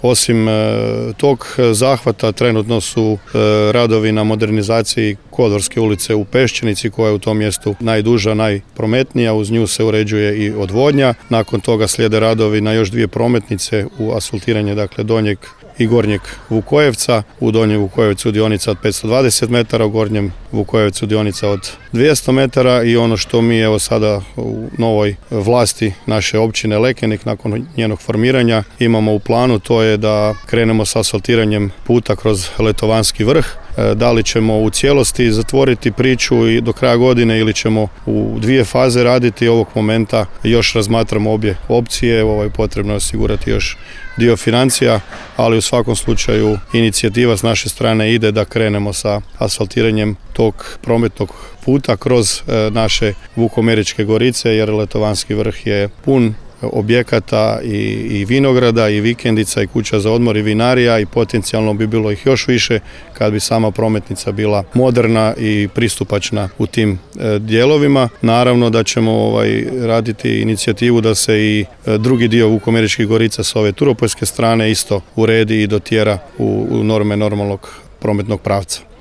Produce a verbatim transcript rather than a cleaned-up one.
Osim tog zahvata trenutno su radovi na modernizaciji Kodvorske ulice u Peščenici koja je u tom mjestu najduža, najprometnija, uz nju se uređuje i odvodnja. Nakon toga slijede radovi na još dvije prometnice u asfaltiranje, dakle donjeg i gornjeg Vukojevca. U donjem Vukojevcu dionica od petsto dvadeset metara, u gornjem Vukojevcu dionica od dvjesto metara i ono što mi evo sada u novoj vlasti naše općine Lekenik nakon njenog formiranja imamo u planu, to je da krenemo s asfaltiranjem puta kroz Letovanski vrh. Da li ćemo u cijelosti zatvoriti priču i do kraja godine ili ćemo u dvije faze raditi, ovog momenta još razmatramo obje opcije. Ovo je potrebno osigurati još dio financija, ali u svakom slučaju inicijativa s naše strane ide da krenemo sa asfaltiranjem tog prometnog puta kroz naše Vukomeričke gorice, jer Letovanski vrh je pun objekata i, i vinograda i vikendica i kuća za odmor i vinarija i potencijalno bi bilo ih još više kad bi sama prometnica bila moderna i pristupačna u tim e, dijelovima. Naravno da ćemo ovaj, raditi inicijativu da se i e, drugi dio Vukomeričkih gorica s ove turopoljske strane isto uredi i dotjera u, u norme normalnog prometnog pravca.